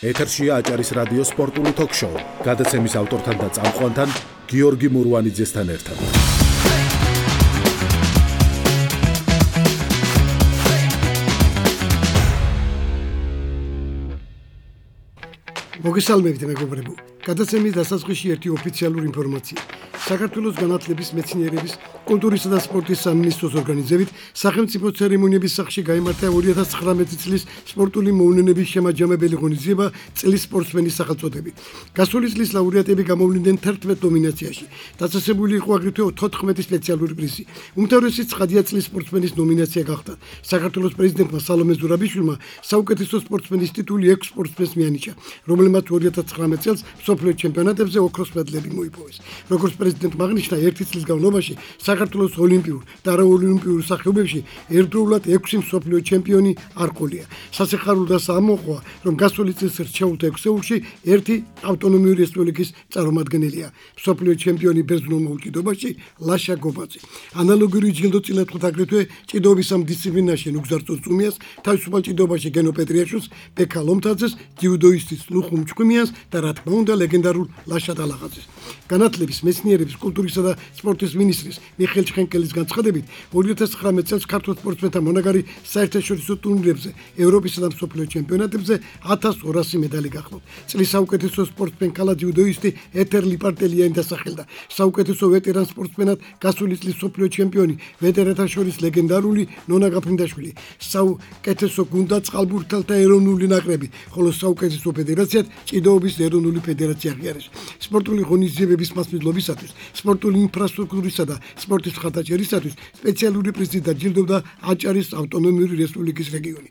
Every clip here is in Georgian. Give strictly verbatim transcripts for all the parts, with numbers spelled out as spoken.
ეთერშია აჭარის რადიო სპორტული თოქ-შოუ. გადაცემის ავტორთან და წამყვანთან გიორგი მურვანიძესთან ერთად. მოგესალმებით მეგობრებო. გადაცემის დასაწყისში ერთი ოფიციალური ინფორმაცია. საქართველოს განათლების, მეცნიერების, კულტურისა და სპორტის სამინისტროს ორგანიზებით სახელმწიფო ცერემონიების სახლში გაიმართა ორი ათას ცხრამეტი წლის სპორტული მოვლენების შემაჯამებელი ღონისძიება წლის სპორტსმენის სახელწოდებით. გასული წლის ლაურეატები გამოვლინდნენ თერთმეტ ნომინაციაში. დაწესებული იყო აგრეთვე თოთხმეტი სპეციალური პრიზი. უმთავრესი ცხადია წლის სპორტსმენის ნომინაცია გახდა. საქართველოს პრეზიდენტმა სალომე ზურაბიშვილმა საუკეთესო სპორტსმენის ტიტული ექვს სპორტსმენს მიანიჭა, რომელმაც ორი ათას ცხრამეტ წელს მსოფლიო ჩემპიონატებზე ოქროს მედლები მოიპოვეს. როგორც პრეზიდენტმა აღნიშნა, ერთი წლის განმავლობაში საქართველოს ოლიმპიურ და არაოლიმპიურ სახეობებში ერთდროულად ექვსი მსოფლიო ჩემპიონი არ ყოლია. სასიხარულოდაა ამოყვა, რომ გასული წლის რჩეულთა ექვსეულში ერთი ავტონომიური რესპუბლიკის წარმომადგენელია. მსოფლიო ჩემპიონი ბერძნულ მოჭიდობაში ლაშა გობაძე. ანალოგიური ჯილდო წილად ხვდა აგრეთვე ჭიდაობის ამ დისციპლინაში ნუგზარ წურწუმიას, თავისუფალ ჭიდაობაში გენო პეტრიაშვილს, ბექა ლომთაძეს, ჯიუდოისტის ლუხუმ ჩხუმიას და რა თქმა უნდა ლეგენდარულ ლაშა ტალაღაძეს. განათლების, მეცნიერების, კულტურისა და სპორტის მინისტრის მიხეილ ჩხენკელის განცხადებით, ორი ათას ცხრამეტ წელს ქართულ სპორტსმენთა მონაგარი საერთაშორისო ტურნირებზე, ევროპისა და მსოფლიო ჩემპიონატებზე ათას ორასი медали გახლავთ. წლის საუკეთესო სპორტსმენ ქალა ჯიუდოისტი ეთერ ლიპარტელიანი დასახელდა. საუკეთესო ვეტერან სპორტსმენად გასული წლის მსოფლიო ჩემპიონი, ვეტერანთა შორის ლეგენდარული ნონა გაფრინდაშვილი. საუკეთესო გუნდა წყალბურთელთა ეროვნული ნაკრები, ხოლო საუკეთესო ფედერაციად ჭიდაობის ეროვნული ფედერაცია აღიარეს. სპორტული ღონისძიებების მასპინძლობისათვის, სპორტული ინფრასტრუქტურისა და სპორტის მხარდაჭერისათვის სპეციალური პრიზი დაჯილდოვდა აჭარის ავტონომიური რესპუბლიკის რეგიონი.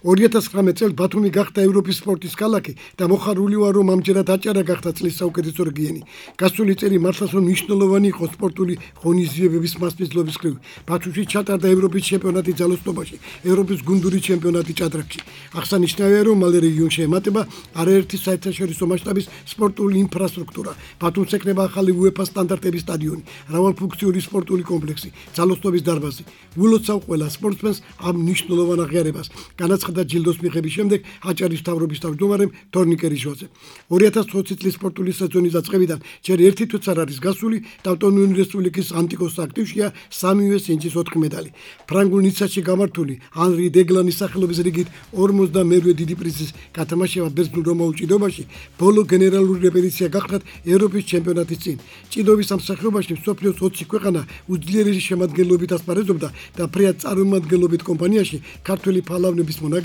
ორი ათას ცხრამეტ წელს ბათუმი გახდა ევროპის სპორტის ქალაქი და მოხარული ვარ, რომ ამჯერად აჭარა გახდა წლის საუკეთესო რეგიონი. გასული წელი მართლაც რომ მნიშვნელოვანი იყო სპორტული ღონისძიებების მასპინძლობის მხრივ. ბათუმში ჩატარდა ევროპის ჩემპიონატი ძალოსნობაში, ევროპის გუნდური ჩემპიონატი ჭადრაკში. აღსანიშნავია, რომ მალე რეგიონში ემატება არაერთი საერთაშორისო მასშტაბის სპორტული ინფრასტრუქტურა. ბათუმს ექნება ახალი უეფა სტანდარტების სტადიონი, მრავალფუნქციური სპორტული კომპლექსი, ძალოსნობის დარბაზი. ვილოცავ ყველა სპორტსმენს ამ მნიშვნელოვან აღიარებას. განაცხადა და ჯილდოს მიღების შემდეგ აჭარის მთავრობის თავმჯდომარემ თორნიკე რიჟვაძე. ორი ათას ოცი წლის სპორტული სეზონის დაწყებიდან ჯერ ერთი თვეც არ არის გასული და ავტონომიური რესპუბლიკის ანტიკოს აქტივშია სამივე სინჯის ოთხი медали. ფრანგულ ნიცაში გამართული ანრი დეგლანის სახელობის რიგით ორმოცდამეერთე დიდი პრიზის გათამაშება ბერძნულ რომაულ ჭიდაობაში ბოლო გენერალური რეპეტიცია გახლავთ ევროპის ჩემპიონატის წინ. ჭიდაობის ამ სახეობაში მსოფლიოს ოცი ქვეყანა უძლიერესი შემადგენლობით ასპარეზობდა და ფრიად წარმომადგენლობით კომპანიაში ქართველი ფალავნების მონაგარი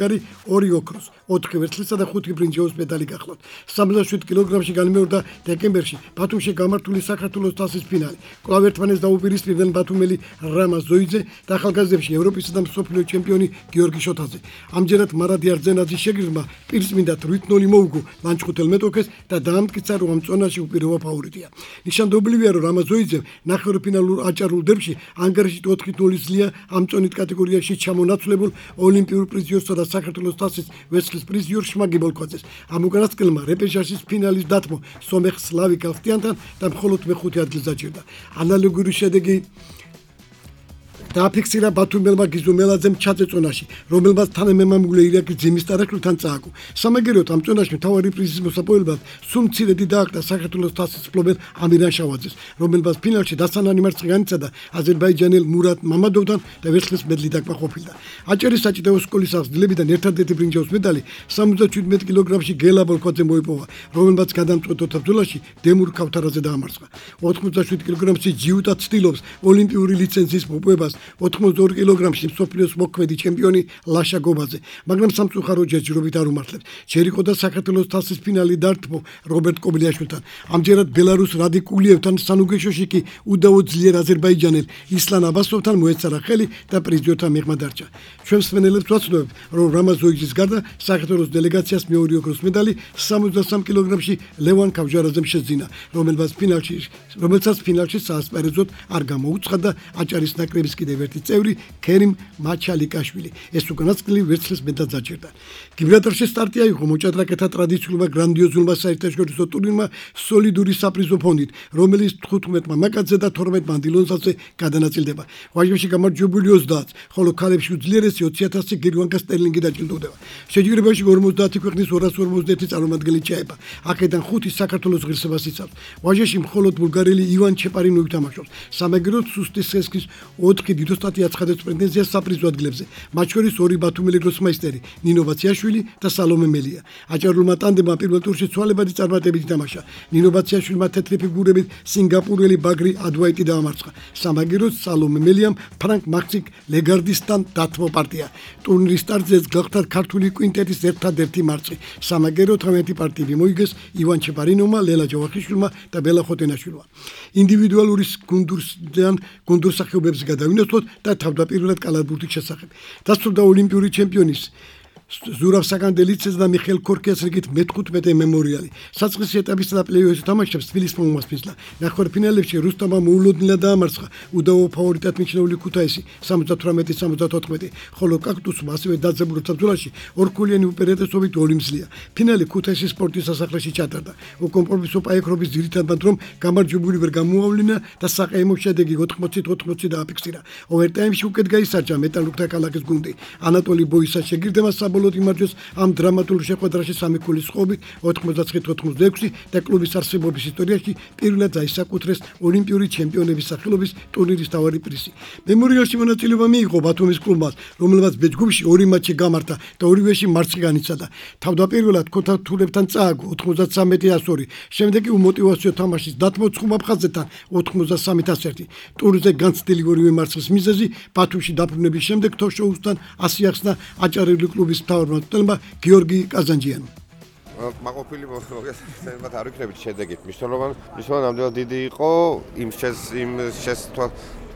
ორი ოქროს, ოთხი ვერცხლისა და ხუთი ბრინჯაოს медали გახლავთ. სამოცდაშვიდ კილოგრამში განმეორდა დეკემბერში ბათუმში გამართული საქართველოს თასის ფინალი. კვლავ ერთმანეთს დაუპირისპირდნენ ბათუმელი რამა ზოიძე და ახალგაზრდებში ევროპისა და მსოფლიო ჩემპიონი გიორგი შოთაძე. ამჯერად მარადი არძენაძის შეგირდმა პირსმინდად რვით ნული მოუგო ლანჩხუთელ მეტოქეს და დაამტკიცა, რომ ამ წონაში უპირობო ფავორიტია. ნიშანდობლივია, რომ რამა ზოიძემ ნახევარფინალურ აჭარულ დერბში ანგარიშით ოთხი ნული ძლია ამ წონით კატეგორიაში ჩამონაცვლებულ ოლიმპიურ პრიზიორსა და საქართველოს თასის ვერცხლის პრიზიორ შმაგი ბოლქვაძეს. ამ უკანასკნელმა რეპეშაჟის ფინალის დათმო სომეხ სლავი კალხტიანთან და მხოლოდ მეხუთე ადგილს დაჭირდა. ანალოგიური შედეგი დააფიქსირა ბათუმელმა გიზო მელაძემ ჩაწეწონაში, რომელმაც თანამემამულე ირაკის ძიმის ტარაკლთან წააგო. სამაგეროთ ამ წონაში მთავარი პრიზის მოსაპოვებლად სულ მცირედი დააკრა საქართველოს თასის მფლობელ ამირან შავაძეს, რომელმაც ფინალში დასანანი მარცხი განიცადა აზერბაიჯანელ მურატ მამადოვთან და ვერცხლის მედლი დაკმაყოფილდა. აჭარის საჭიდაო სკოლის აღზრდილებიდან ერთადერთი ბრინჯაოს медали სამოცდაშვიდ კილოგრამში გელა ბოლქვაძემ მოიპოვა, რომელმაც გადამწყვეტ ბრძოლაში დემურ ქავთარაძე დაამარცხა. ოთხმოცდაშვიდ კილოგრამში ჯიუტა ცდილობს ოლიმპიური ლიცენზიის მოპოვებას ოთხმოცდაორი კილოგრამში მსოფლიოს მოქმედი ჩემპიონი ლაშა გობაძე, მაგრამ სამწუხაროდ ჯერჯერობით არ უმართლებს. ჯერ იყო და საქართველოს თასის ფინალი დართმო რობერტ კობილიაშვილთან. ამჯერად ბელარუს რადიკულიევთან სანუგეშოში კი უდავო ძლიერ აზერბაიჯანელ ისლან აბასოვთან მოეწარა ხელი და პრიზიორთა მიღმა დარჩა. ჩვენ მსმენელებს ვაცნობთ, რომ რამა ზოიძის გარდა საქართველოს დელეგაციას მეორე ოქროს медали სამოცდასამ კილოგრამში ლევან კავჟარაძემ შეძინა, რომელმაც ფინალში რომელსაც ფინალში საასპარეზოდ არ გამოუცხადა აჭარის ნაკრების კიდევ ერთის წევრი ქერიმ მაჩალიკაშვილი. ეს უკანასკნელი ვერცხლის მედალს დაჭერდა. გიბრალტარში სტარტი აიღო მოჭადრაკეთა ტრადიციულმა გრანდიოზულმა საერთაშორისო ტურნირმა სოლიდური საპრიზო ფონდით, რომელიც თხუთმეტ მამაკაცზე და თორმეტ მანდილონსაზე გადანაწილდება. ვაჟებში გამარჯვებული ოცდაათს, ხოლო ქალებში უძლიერესი ოცი ათასი გირვანკა სტერლინგი დაჯილდოვდება. შეჯიბრებაში ორმოცდაათი ქვეყნის ორას ორმოცდაერთი წარმომადგენელი ჩაება. აქედან ხუთი საქართველოს ღირსებას იცავს. ვაჟებში მხოლოდ ბულგარელი ივან ჩეპარინოვი თამაშობს. სამაგიეროდ სუსტისხესკის ოთხი დიდოსტატი აცხადებს პრეტენზიას საპრიზო ადგილებზე. მათ შორის ორი ბათუმელი გროსმაისტერი ნინო ბაციაშვილი და სალომე მელია. აჭარულმა ტანდემმა პირველ ტურში ცვალებადი წარმატებით ითამაშა. ნინო ბაციაშვილმა თეთრი ფიგურებით სინგაპურელი ბაგრი ადვაიტი დაამარცხა. სამაგიეროდ სალომე მელიამ ფრანკ მაქსიკ ლეგარდისთან დათმო პარტია. ტურნირის სტარტზე გახდა ქართული კვინტეტის ერთადერთი მარცხი. სამაგიეროდ თამეტი პარტიები მოიგეს ივან ჩეპარინოვმა, ლელა ჯავახიშვილმა და ბელა ხოტენაშვილმა. ინდივიდუალური გუნდურსთან გუნდურსახეობებს გადავინაცვლოთ და თავდაპირველად კალათბურთის შესახებ. დასრულდა ოლიმპიური ჩემპიონის ზურავ საკანდელიძეს და მიხეილ ქორქიას რიგით მეთხუთმეტე მემორიალი. საწყისი ეტაპის და პლეი-ოფის თამაშებს თბილისმა უმასპინძლა. ნახევარფინალებში რუსტამმა მოულოდნელად დაამარცხა უდავო ფავორიტად მიჩნეული ქუთაისი სამოცდათვრამეტი სამოცდათოთხმეტი, ხოლო კაქტუსმა ასევე დაძაბულო ბრძოლაში ორქულიანი უპირატესობით ოლიმპზლია. ფინალი ქუთაისის სპორტის სასახლეში ჩატარდა. უკომპრომისო პაექრობის ძირითადად რომ გამარჯვებული ვერ გამოავლინა და საყეიმო შედეგი ოთხმოცი ოთხმოცი დააფიქსირა. ოვერტაიმში უკეთ გაისარჯა მეტალურგთა ქალაქის გუნდი. ანატოლი ბოისას შეგირდება საბოლოოდ იმარჯვეს ამ დრამატულ შეხვედრაში სამი ქულის ხობით ოთხმოცდათხი ოცდაექვსი და კლუბის არსებობის ისტორიაში პირველად დაისაკუთრეს ოლიმპიური ჩემპიონების სახელობის ტურნირის მთავარი პრიზი. მემორიალში მონაწილეობა მიიღო ბათუმის კლუბმა, რომელმაც ბეჯგუფში ორი მატჩი გამართა და ორივეში მარცხი განიცადა. თავდაპირველად ქოთათურებთან წააგო ოთხმოცდათრამეტი ასორი, შემდეგ კი უმოტივაციო თამაშის დათმოცხუმ აფხაზეთთან ოთხმოცდასამი ასი. ტურნირზე განცდილი ორივე მარცხის მიზეზი ბათუმში დაბრუნების შემდეგ თოშოუსთან ასი ახსნა აჭარელი კლუბის მთავარმა მწვრთნელმა გიორგი კაზანჯიანმა. მაყოფილი მოგესალმებით არ ვიქნებით შედეგით. მნიშვნელოვანი მნიშვნელოვანი ნამდვილად დიდი იყო იმ შეს იმ შეს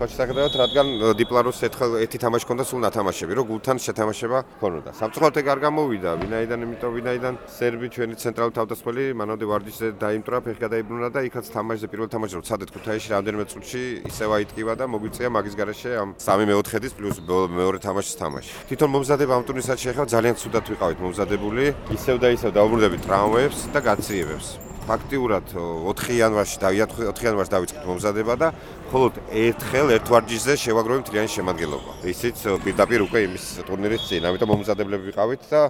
თვალსაჩინო, რადგან დიპლაროს ერთი თამაში ჰქონდა სულ ნათამაშები, რომ გულთან შეთამაშება ჰქონოდა. სამწუხაროდ ეგ არ გამოვიდა, ვინაიდან, იმიტომ ვინაიდან სერბი ჩვენი ცენტრალური თავდამსხმელი მანამდე ვარდისზე დაიმტრა, ფეხი გადაიბრუნა და იქაც თამაშზე პირველ თამაშზე რომ ცადეთ ქუთაისში რამდენიმე წუთში ისევ აიტკივა და მოგვიწია მაგის გარეშე ამ სამი მეოთხედის პლუს მეორე თამაშის თამაში. თვითონ მომზადება ამ ტურნირსაც შეეხება ძალიან ცუდად ვიყავით მომზადებული, ისევ და ისევ დაუბრუნდებით ტრავმებს და გაციებებს. ფაქტიურად ოთხი იანვარში და ოთხი იანვარში დავიწყეთ მომზადება და მხოლოდ ერთხელ ერთ ვარჯიშზე შევაგროვე მთლიანი შემადგენლობა. ისიც პირდაპირ უკვე იმის ტურნირის წინ, ამიტომ მომზადებლები ვიყავით და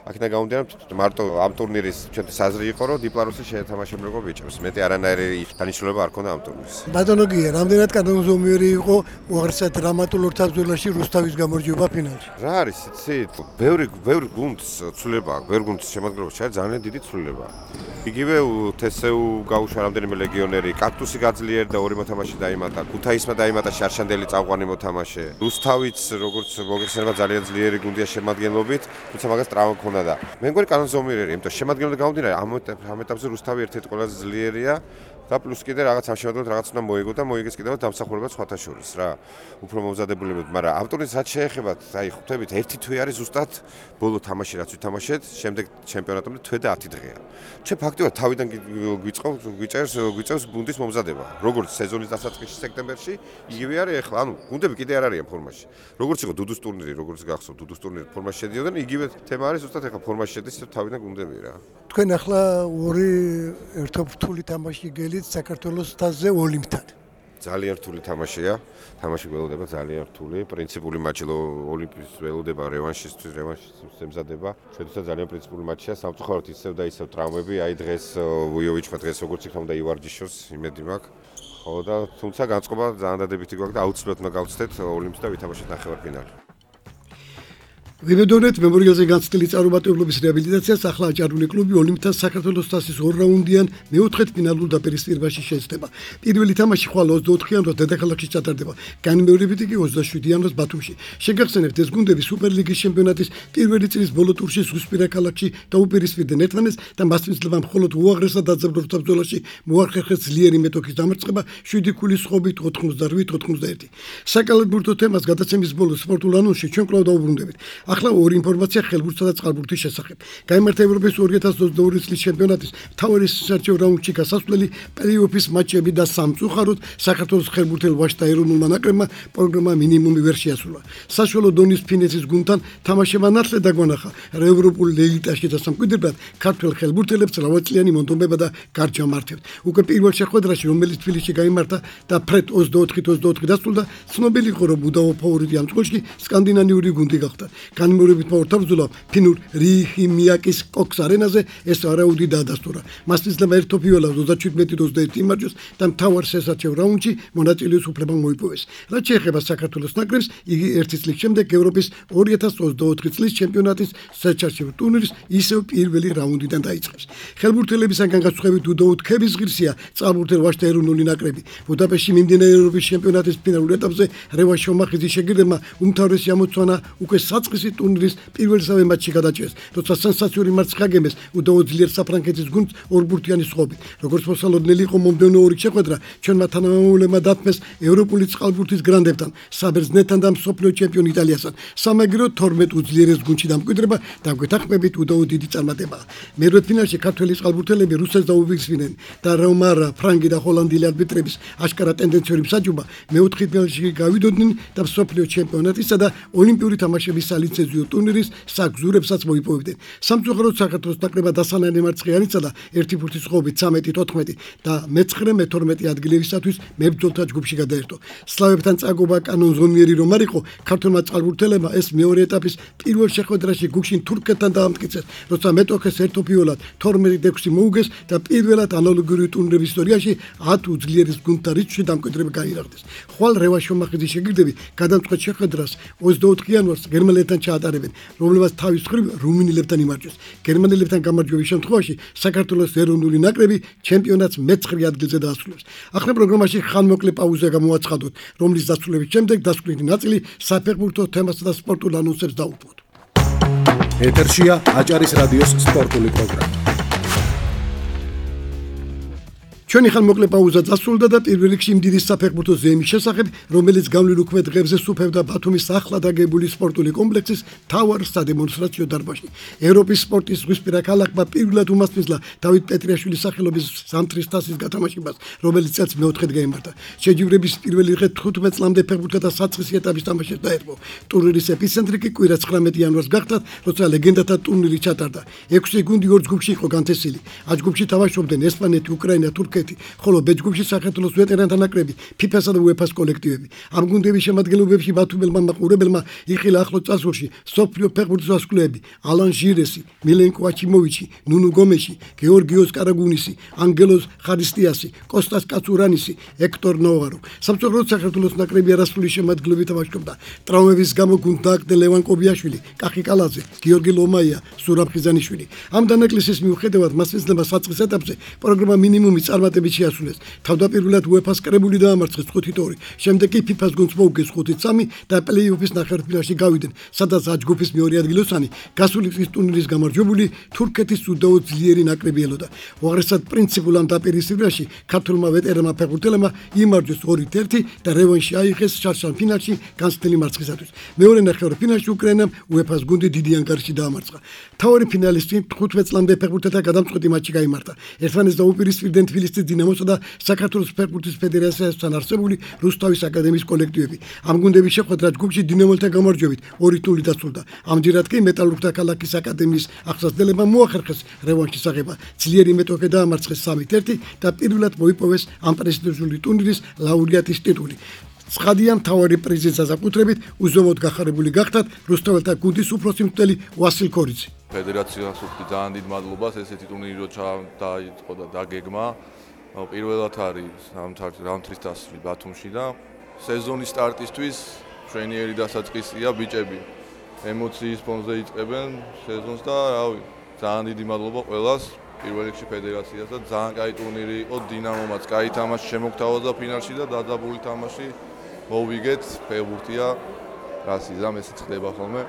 აქედან გამომდინარე მარტო ამ ტურნირის ჩვენთვის აზრი იყო, რომ დიპლაროსი შეეთამაშებლებო ბიჭებს. მეტი არანაირი დანიშნულება არ ქონდა ამ ტურნირის. ბატონო გია, რამდენად კანონზომიერი იყო უაღრესად დრამატულ ორთაბრძოლაში რუსთავის გამარჯვება ფინალში? რა არის, იცით? ბევრი ბევრი გუნდს ცვლილება აქვს, ბევრი გუნდის შემადგენლობა შეიძლება ძალიან დიდი ცვლილება. იგივე თესეუ გაუშვა რამდენიმე ლეგიონერი, კაქტუსი გაძლიერდა ორი მოთამაშე დაიმატა, ქუთაისმა დაიმატა შარშანდელი წამყვანი მოთამაშე. რუსთავიც როგორც მოგეხსენება ძალიან ძლიერი გუნდია შემადგენლობით, თუმცა მაგას ტრავმა ჰქონდა და მე მგონი კანონზომიერია, იმიტომ შემადგენლობა გამომდინარე ამ ეტაპზე რუსთავი ერთ-ერთი ყველაზე ძლიერია და პლუს კიდე რაღაც ამ შემადგენლობთ რაღაც უნდა მოიგო და მოიგეს კიდევ დამსახურება სხვათა შორის რა. უფრო მომზადებულები, მაგრამ ამ ტურნირს რაც შეეხება, აი ხვდებით, ერთი თვე არის ზუსტად ბოლო თამაში რაც ვითამაშეთ, შემდეგ ჩემპიონატამდე თვე და ათი დღეა. ჩვენ ფაქტობრივად თავიდან გვიწყობს, გვიწერს, გვიწერს გუნდის მომზადება. როგორც სეზონის დასაწყისში სექტემბერში, იგივე არის ახლა, ანუ გუნდები კიდე არ არიან ფორმაში. როგორც იყო დუდუს ტურნირი, როგორც გახსოვთ, დუდუს ტურნირი ფორმაში შედიოდნენ, იგივე თემა არის ზუსტად ახლა ფორმაში შედის თავიდან გუნდები რა. თქვენ ახლა ორი ერთობრთული თამაში გელით საქართველოს თასზე ოლიმპთან. ძალიან რთული თამაშია. თამაში ველოდება ძალიან რთული. პრინციპული მატჩი ოლიმპის ველოდება რევანშისთვის, რევანშის ემზადება. შედიოდა ძალიან პრინციპული მატჩია. სამწუხაროდ ისევ და ისევ ტრავმები. აი დღეს ვუიოვიჩმა დღეს როგორც იქნა უნდა ივარჯიშოს, იმედი მაქვს. ხო და თუმცა განწყობა ძალიან დადებითი გვაქვს და აუცილებლად უნდა გავცდეთ ოლიმპს და ვითამაშოთ ნახევარფინალი. ვიბედონეთ მემორიალზე განცდილი წარუმატებლობის რეაბილიტაციას ახლა აჭარული კლუბი ოლიმპთან საქართველოს თასის ორ რაუნდიან მეოთხედფინალურ დაპირისპირებაში შეეცდება. პირველი თამაში ხვალ ოცდაოთხ იანვრს დედაქალაქში ჩატარდება, განმეორებითი კი ოცდაშვიდი იანვრს ბათუმში. შეგახსენებთ, ეს გუნდები სუპერლიგის ჩემპიონატის პირველი წლის ბოლო ტურში ზღვისპირა ქალაქში დაუპირისპირდნენ ერთმანეთს და მასპინძლება მხოლოდ უაღრესად დაძაბულ ბრძოლაში მოახერხეს ძლიერი მეტოქის დამარცხება შვიდი ქულის ხობით ოთხმოცდაოთხ ოცდაერთი. საკალათბურთო თემას გადაცემის ბოლოს სპორტულ ანონსში ჩვენ კვლავ დაუბრუნდებით. ახლა ორი ინფორმაცია ხელბურთსა და წყალბურთის შესახებ. გაიმართა ევროპის ორი ათას ოცდაორი წლის ჩემპიონატის მთავარი საერთო რაუნდში გასასვლელი პლეი-ოფის მაჩები და სამწუხაროდ საქართველოს ხელბურთელ ვაჟთა ეროვნულმა ნაკრებმა პროგრამა მინიმუმი ვერ შეასრულა. საშუალო დონის ფინეთის გუნდთან თამაშება ნათლად დაგვანახა. ევროპულ ელიტაში და სამკვიდრად ქართველ ხელბურთელებს რავაწლიანი მონდომება და გარჯამართებთ. უკვე პირველ შეხვედრაში, რომელიც თბილისში გაიმართა და ფრედ ოცდაოთხ ოცდაოთხ დასრულდა, ცნობილი იყო, რომ უდავო ფავორიტი ამ წყვილში სკანდინავიური გუნდი გახდა. განმეორებით მოორთავზულა ფინურ რიჰიმიაკის კოქს არენაზე, ეს არაუდი დაადასტურა. მას იძლევა ერთოფიოლას ოცდაჩვიდმეტი ოცდაერთი იმარჯვოს და მთავარ შესაჩევ რაუნდში მონაწილეობის უფლება მოიპოვეს. რაც შეეხება საქართველოს ნაკრებს, იგი ერთი წლის შემდეგ ევროპის ორი ათას ოცდაოთხ წლის ჩემპიონატის საჩარჩო ტურნირის ისევ პირველი რაუნდიდან დაიწყებს. ხელბურთელებისგან განსხვავებით უდავო თქების ღირსია წყალბურთელ ვაჟთა ეროვნული ნაკრები. ბუდაპეშტში მიმდინარე ევროპის ჩემპიონატის ფინალურ ეტაპზე რევან შომახიძის შეგირდებმა უმთავრესი ამოცანა უკვე საწყისი ტურნირის პირველსავე მატჩში გადაჭრეს, როცა სენსაციური მარცხი აგებეს უდავო ძლიერ საფრანგეთის გუნდს ორბურთიანი სხობით. როგორც მოსალოდნელი იყო მომდევნო ორი შეხვედრა, ჩვენმა თანამემამულებმა დათმეს ევროპული წყალბურთის გრანდებთან, საბერძნეთთან და მსოფლიო ჩემპიონ იტალიასთან. სამაგერო თორმეტ უძლიერეს გუნდში დამკვიდრება და გვეთანხმებით უდავო დიდი წარმატებაა. მერვე ფინალში ქართველი წყალბურთელები რუსეთს დაუვიწყდნენ და რომარა, ფრანგი და ჰოლანდიელი არბიტრების აშკარა ტენდენციური მსაჯობა მეოთხე ფინალში გავიდოდნენ და მსოფლიო ჩემპიონატისა და ოლიმპიური თამაშების სალიცენზიო ტურნირის საგზურებსაც მოიპოვებდნენ. სამწუხაროდ საქართველოს ნაკრებმა დასანანე მარცხი ანიცადა ერთი ფურთის სხობით ცამეტი თოთხმეტი და მეცხრე მეთორმეტე ადგილებისათვის მებრძოლთა ჯგუფში გადაერთო. სლავებთან წაგობა კანონზომიერი რომ არ იყო, ქართველმა წყალბურთელებმა ეს მეორე ეტაპის პირველ შეხვედრაში გუშინ თურქეთთან დაამტკიცეს, როცა მეტოქეს ერთოფიოლად თორმეტი ექვსი მოუგეს და პირველად ანალოგიური ტურნირების ისტორიაში ათ უძლიერეს გუნდთა რიცხვში დამკვიდრება გაირაღდეს. ხვალ რევან შომახიძის შეგირდები გადამწყვეტ შეხვედრას ოცდაოთხ იანვარს გერმანელებთან ჩაატარებენ, რომლებაც თავის მხრივ რუმინელებთან იმარჯვეს. გერმანელებთან გამარჯვების შემთხვევაში საქართველოს ეროვნული ნაკრები ჩემპიონატს მეცხრე ადგილზე დაასრულებს. ახლა პროგრამაში ხანმოკლე პაუზა გამოაცხადოთ, რომლის დასრულების შემდეგ დასკვნითი ნაწილი საფეხბურთო თემასა და სპორტულ ანონსებს დაუშვოთ. ეთერშია აჭარის რადიოს სპორტული პროგრამა. ჩვენი ხანმოკლე პაუზა დასრულდა და პირველ რიგში იმდირის საფეხბურთო ზეიმის შესახებ, რომელიც გავლილ უქმე დღეებზე სუფევდა ბათუმის ახლად აგებული სპორტული კომპლექსის მთავარ სადემონსტრაციო დარბაზში. ევროპის სპორტის ზღვისპირა ქალაქმა პირველად უმასპინძლა დავით პეტრიაშვილის სახელობის ზამთრის თასის გათამაშებას, რომელიც წელს მეოთხედ გაიმართა. შეჯიბრების პირველი დღე თხუთმეტ წლამდე ფეხბურთთა საწყისი ეტაპის თამაშებს დაერგო. ტურნირის ეპიცენტრი კი კვირა ცხრამეტი იანვარს გახდა, როცა ლეგენდათა ტურნირი ჩატარდა. ექვსი გუნდი ორ ჯგუფში იყო განთესილი. ა ჯგუფში თამაშობდნენ ესპანეთი, უკრაინა, თურქეთი, ხოლო ბ ჯგუფში საქართველოს ვეტერანთა ნაკრები, ფიფასა და უეფას კოლექტივები. ამ გუნდების შემადგენლობებში ბათუმელმა მაყურებელმა იხილა ახლო წარსულში სოფლიო ფეხბურთის ასკვლეები: ალან ჟირესი, მილენკო აჩიმოვიჩი, ნუნუ გომეში, გეორგიოს კარაგუნისი, ანგელოს ხარისტიასი, კოსტას კაცურანისი, ექტორ ნოვარო. სამწუხაროდ საქართველოს ნაკრები არასრული შემადგენლობით თამაშობდა. ტრავმების გამო გუნდ დააგდე ლევან კობიაშვილი, კახი კალაძე, გიორგი ლომაია, სურამ ხიზანიშვილი. ამ დანაკლისის მიუხედავად მას ეძლევა საწყის ეტაპზე პროგრამა მინიმუმი წარმატებით შეასრულეს. თავდაპირველად უეფას კრებული დაამარცხეს ხუთი ორი, შემდეგ კი ფიფას გუნდს მოუგეს ხუთი სამი და პლეი-ოფის ნახევარფინალში გავიდნენ, სადაც ა ჯგუფის მეორე ადგილოსანი გასული წლის ტურნირის გამარჯვებული თურქეთის უდავო ძლიერი ნაკრები ელოდა. უაღრესად პრინციპულ ამ დაპირისპირებაში ქართულმა ვეტერანმა ფეხბურთელებმა იმარჯვეს ორი ერთი და რევანში აიღეს შარშან ფინალში განცდელი მარცხისათვის. მეორე ნახევარფინალში უკრაინამ უეფას გუნდი დიდი ანგარიში დაამარცხა. მთავარი ფინალისტი თხუთმეტ წლამდე ფეხბურთელთა გადამწყვეტი მატჩი გაიმართა. ერთმანეთს დაუპირისპირდნენ თბილისის დინამოსა და საქართველოს ფეხბურთის ფედერაციასთან არსებული რუსთავის აკადემიის კოლექტივები. ამ გუნდების შეხვედრა ჯგუფში დინამოლთან გამარჯვებით ორი ნული დასრულდა. ამჯერად კი მეტალურგთა ქალაქის აკადემიის აღსასრულებმა მოახერხეს რევანშის აღება. ძლიერი მეტოქე დაამარცხეს სამი ერთი და პირველად მოიპოვეს ამ პრესტიჟული ტურნირის ლაურეატის ტიტული. ცხადია, მთავარი პრიზის დასაკუთრებით უზომოდ გახარებული გახდათ რუსთაველთა გუნდის უფროსი მცდელი ვასილ ქორიძე. ფედერაციას ვუხდი ძალიან დიდ მადლობას ესეთი ტურნირი რო დაიწყო და დაგეგმა. პირველად არის რაუნდთრის თასი ბათუმში და სეზონის სტარტისთვის ტრენიერი დასაწყისია ბიჭები. ემოციის ფონზე იწყებენ სეზონს და რავი, ძალიან დიდი მადლობა ყველას. პირველ რიგში ფედერაციას და ძალიან კაი ტურნირი იყო, დინამომაც კაი თამაში შემოგთავაზა ფინალში და დაძაბული თამაში მოვიგეთ, ფეხბურთია, რასიზამ ესეც ხდება ხოლმე.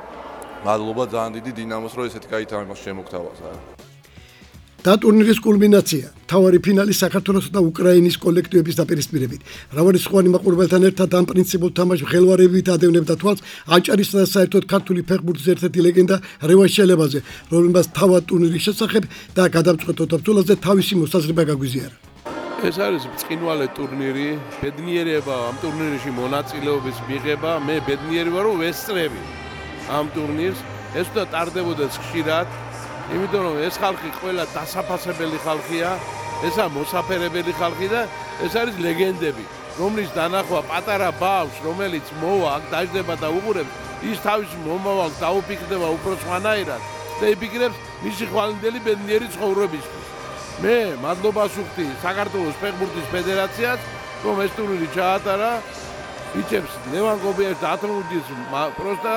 მადლობა ძალიან დიდი დინამოს, რომ ესეთი კაი თამაში შემოგთავაზა. და ტურნირის კულმინაცია. მთავარი ფინალი საქართველოს და უკრაინის კოლექტივების დაპირისპირებით. მრავალრიცხოვანი მაყურებელთან ერთად ამ პრინციპულ თამაშს ხელვარებით ადევნებდა თვალს აჭარისა და საერთოდ ქართული ფეხბურთის ერთ-ერთი ლეგენდა რევან შელებაზე, რომელმაც თავად ტურნირის შესახებ და გადამწყვეტ ბრძოლაზე თავისი მოსაზრება გაგვიზიარა. ეს არის ბრწყინვალე ტურნირი, ბედნიერება ამ ტურნირში მონაწილეობის მიღება, მე ბედნიერი ვარ, რომ ვესწრები ამ ტურნირს, ეს უნდა ტარდებოდეს ხშირად, იმიტომ რომ ეს ხალხი ყველა დასაფასებელი ხალხია, ესა მოსაფერებელი ხალხი და ეს არის ლეგენდები, რომლის დანახვა პატარა ბავშვს, რომელიც მოვა, აქ დაждდება და უყურებს, ის თავის მომავალს დაუფიქრდება უფრო სხვანაირად და იფიქრებს მისი ხვალინდელი ბედნიერი ცხოვრებისთვის. მე მადლობას ვუხდი საქართველოს ფეხბურთის ფედერაციას, რომ ეს ტურნირი ჩაატარა. ვიჭებს ლევან კობიაშვილს და ათრამუდის პროსტა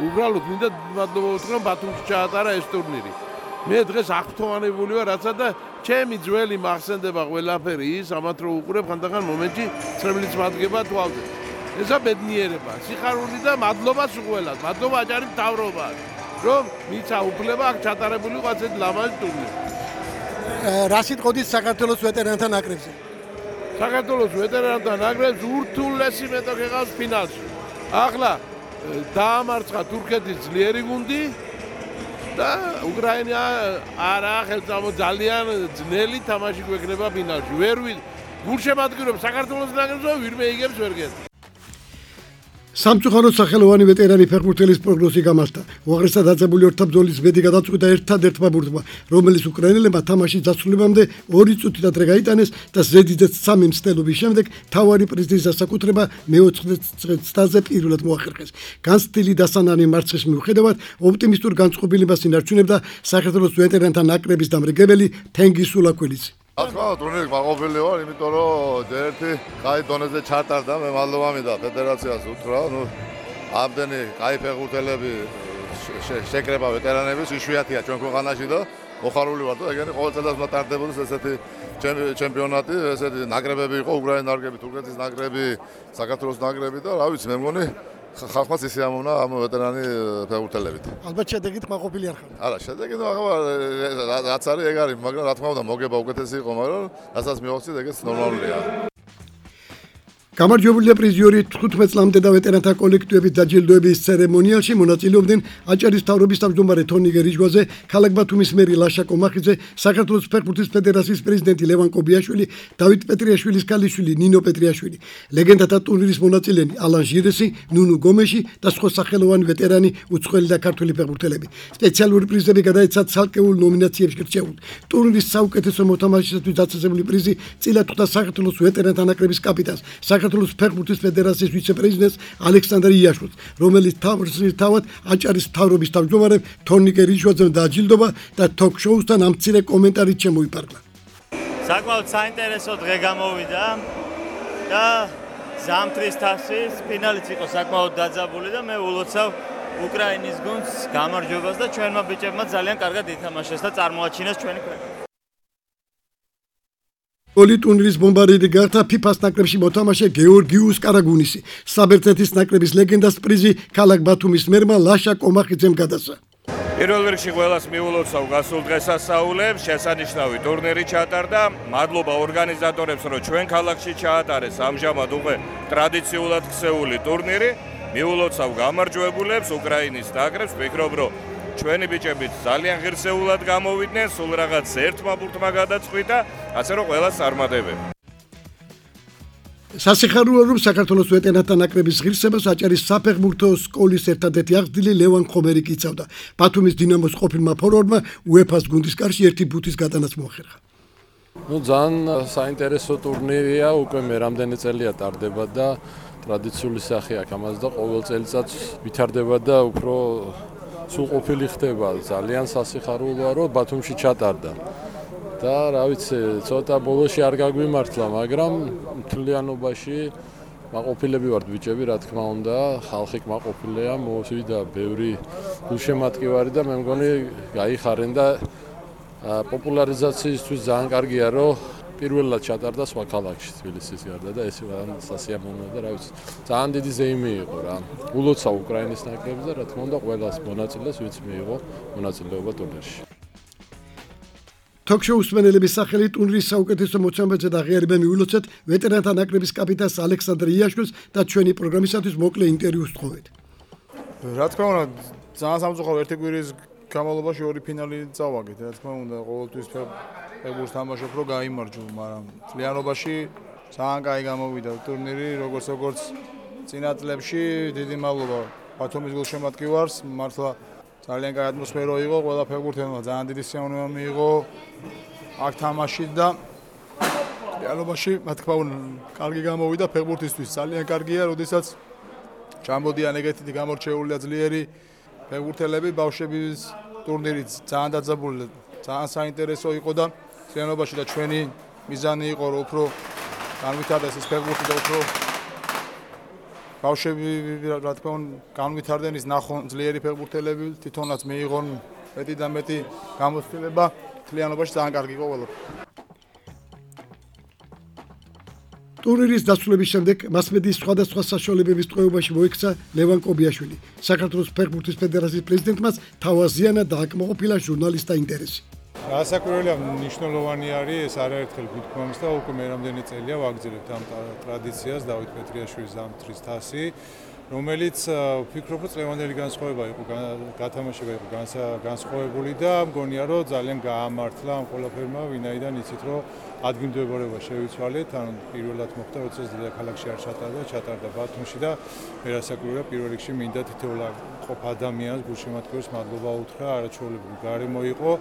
უბრალოდ მინდა მადლობა ვუთხრა, რომ ბათუმში ჩაატარა ეს ტურნირი. მე დღეს აღფრთოვანებული ვარ, რაცა და ჩემი ძველი მახსენდება ყველაფერი ის, ამათ რო უყურებ ხანდახან მომენტში წრემლიც მადგება თვალზე. ესა ბედნიერება, სიხარული და მადლობა სულ. მადლობა აჭარის მთავრობას, რომ მიცა უფლება აქ ჩატარებული იყო ასეთი ლამაზი ტურნირი. რა სიტყოდით საქართველოს ვეტერანთა ნაკრებზე? საქართველოს ვეტერანთა ნაკრებს ურთულესი მეტოქი ყავს ფინალში. ახლა დაამარცხა თურქეთის ძლიერი გუნდი და უკრაინა არა ხელწამო ძალიან ძნელი თამაში გვექნება ფინალში. ვერ გულშემატკივრებს საქართველოს ნაკრებს და ვირმე იგებს ვერ გეტყვი. სამწუხაროდ სახელოვანი ვეტერანი ფეხბურთელის პროგნოზი გამართა. უაღრესად დაძაბული ორთაბრძოლის ბედი გადაწყვიტა ერთადერთმა ბურთმა, რომელიც უკრაინელებმა თამაშის დასრულებამდე ორი წუთით ადრე გაიტანეს და ზედიზედ სამი მცდელობის შემდეგ მთავარი პრიზის დასაკუთრება მეოთხე წრეზე პირველად მოახერხეს. განცდილი დასანანი მარცხის მიუხედავად, ოპტიმისტურ განწყობილებას ინარჩუნებდა საქართველოს ვეტერანთა ნაკრების დამრიგებელი თენგიზ ულაქველიძე. ახლა ტურნირი მაყოფილი ვარ, იმიტომ რომ ერთი კაი დონეზე ჩატარდა, მე მადლობა მინდა ფედერაციას უთხრა, ნუ ამდენი კაი ფეხბურთელები შეკრება ვეტერანების იშვიათია ჩვენ ქვეყანაში და მოხარული ვარ და ეგენი ყოველ წელს უნდა ტარდებოდეს ესეთი ჩემპიონატი, ესეთი ნაკრებები იყო, უკრაინის ნაკრები, თურქეთის ნაკრები, საქართველოს ნაკრები და რა ვიცი, მე მგონი ხალხმაც ისე ამოვნა ამ ვეტერანი ფეხბურთელებით. ალბათ შედეგით მაყოფილი არ ხარ. არა, შედეგით ახლა რაც არის ეგ არის, მაგრამ რა თქმა უნდა მოგება უკეთესი იყო, მაგრამ რასაც მივახცეთ ეგეც ნორმალურია. გამარჯვებულია პრიზიორი თხუთმეტ წლამდე და ვეტერანთა კოლექტივების დაჯილდოების ცერემონიალში მონაწილეობდნენ აჭარის მთავრობის თავმჯდომარე თონი გერიჟვაზე, ქალაქ ბათუმის მერი ლაშა კომახიძე, საქართველოს ფეხბურთის ფედერაციის პრეზიდენტი ლევან კობიაშვილი, დავით პეტრიაშვილის ქალიშვილი ნინო პეტრიაშვილი, ლეგენდათა ტურნირის მონაწილენი ალან ჟირესი, ნუნუ გომეში და სხვა სახელოვანი ვეტერანი, უცხოელი და ქართული ფეხბურთელები. სპეციალური პრიზები გადაეცა ცალკეულ ნომინაციებში გრჩეულ. ტურნირის საუკეთესო მოთამაშისათვის დაწესებული პრიზი წილად ხვდა საქართველოს ვეტერანთა ნაკრების კაპიტანს, საქართველოს ფეხბურთის ფედერაციის ვიცე-პრეზიდენტს ალექსანდრ იაშვილს, რომელიც თავად აჭარის მთავრობის თავმჯდომარემ თონი გერიჟვაძემ დააჯილდობა და თოქ-შოუსთან ამ მცირე კომენტარით შემოიფარგლა. საკმაოდ საინტერესო დღე გამოვიდა და ზამთრის თასის ფინალიც იყო საკმაოდ დაძაბული და მე ულოცავ უკრაინის გუნდს გამარჯვებას და ჩვენმა ბიჭებმა ძალიან კარგად ითამაშეს და წარმოაჩინეს ჩვენი ქვეყანა. ორი ტურნირის ბომბარდირი გახდა ფიფას ნაკრებში მოთამაშე გეორგიუს კარაგუნისი. საბერძნეთის ნაკრების ლეგენდას პრიზი ქალაქ ბათუმის მერმა ლაშა კომახიძემ გადასცა. პირველ რიგში ყველას მიულოცავ გასულ დღესასწაულებს, შესანიშნავი ტურნირი ჩატარდა. მადლობა ორგანიზატორებს, რომ ჩვენ ქალაქში ჩაატარეს ამჟამად უკვე ტრადიციულად ქსეული ტურნირი. მიულოცავ გამარჯვებულებს უკრაინის ნაკრებს, ვფიქრობ, რომ ჩვენი ბიჭებიც ძალიან ღირსეულად გამოვიდნენ, სულ რაღაც ერთმა ბურთმა გადაწყვიტა, ასე რომ ყველას წარმატებები. სასიხარულოა, რომ საქართველოს ვეტერანთა ნაკრების ღირსებას აჭარის საფეხბურთო სკოლის ერთადერთი აღზრდილი ლევან ხომერი იცავდა. ბათუმის დინამოს ყოფილმა ფორვარდმა უეფას გუნდის კარში ერთი ბუთის გატანაც მოახერხა. ნუ ძალიან საინტერესო ტურნირია, უკვე მე რამდენი წელია ტარდება და ტრადიციული სახე აქვს ამას და ყოველ წელიწადს ვითარდება და უფრო სულყოფილი ხდება. ძალიან სასიხარულოა, რომ ბათუმში ჩატარდა. და რა ვიცი, ცოტა ბოლოში არ გაგვიმართლა, მაგრამ მთლიანობაში მაყოფილები ვართ ბიჭები, რა თქმა უნდა, ხალხი მაყოფილია, მოვიდა ბევრი გულშემატკივარი და მე მგონი გაიხარენ და პოპულარიზაციისთვის ძალიან კარგია, რომ პირველად ჩატარდა სხვა ქალაქში თბილისის გარდა და ეს სასიამოვნოა და რა ვიცი, ძალიან დიდი ზეიმი იყო რა. ულოცავ უკრაინის ნაკრებს და რა თქმა უნდა ყველას მონაწილეს, ვინც მიიღო მონაწილეობა ტურნირში. Talk-show მსმენელების სახელით ტურნირის საუკეთესო მოწამეზე და ღიარება მივილოცეთ ვეტერანთა ნაკრების კაპიტანს ალექსანდრ იაშვილს და ჩვენი პროგრამისათვის მოკლე ინტერვიუს თხოვეთ. რა თქმა უნდა, ძალიან სამწუხარო ერთი კვირის განმავლობაში ორი ფინალი წავაგეთ. რა თქმა უნდა, ყოველთვის ფეხბურთს თამაშობ, რომ გაიმარჯვო, მაგრამ წლიანობაში ძალიან კაი გამოვიდა ტურნირი, როგორც როგორც წინა წლებში. დიდი მადლობა ბათუმის გულშემატკივარს, მართლა ძალიან კაი ატმოსფერო იყო, ყველა ფეხბურთელმა ძალიან დიდი სიამოვნება მიიღო აქ თამაში და რეალობაში, რა თქმა უნდა, კარგი გამოვიდა ფეხბურთისთვის. ძალიან კარგია, როდესაც ჩამოდიან ეგეთი გამორჩეული და ძლიერი ფეხბურთელები ბავშვების ტურნირიც ძალიან დაძაბული, ძალიან საინტერესო იყო და სიანობაში და ჩვენი მიზანი იყო, რომ უფრო განვითარდეს ეს ფეხბურთი და უფრო ბავშვები, რა თქმა უნდა, განვითარდნენ ის ნახონ ძლიერი ფეხბურთელები, თვითონაც მიიღონ მეტი და მეტი გამოცდილება, თლიანობაში ძალიან კარგი იყო ყველაფერი. ტურნირის დასრულების შემდეგ მასმედიის სხვადასხვა საშუალებების ტყვეობაში მოიქცა ლევან კობიაშვილი. საქართველოს ფეხბურთის ფედერაციის პრეზიდენტმა თავაზიანად დააკმაყოფილა ჟურნალისტთა ინტერესი. Გასაკვირველია, მნიშვნელოვანი არის ეს არაერთხელ გვითქვამს და უკვე მე რამდენი წელია ვაგრძელებთ ამ ტრადიციას დავით პეტრიაშვილის ზამთრის თასი, რომელიც ვფიქრობ, რომ წლევანდელი განსხვავება იყო, გათამაშება იყო განსხვავებული და მგონია, რომ ძალიან გაამართლა ამ ყველაფერმა, ვინაიდან იცით, რომ ადგილმდებარეობა შევიცვალეთ, ან პირველად მოხდა, როცა დედაქალაქში არ ჩატარდა, ჩატარდა ბათუმში და მე რასაკვირველია, პირველ რიგში მინდა თითოეულ ყოფ ადამიანს გულშემატკივრს მადლობა უთხრა, არაჩვეულებრივი გარემო იყო.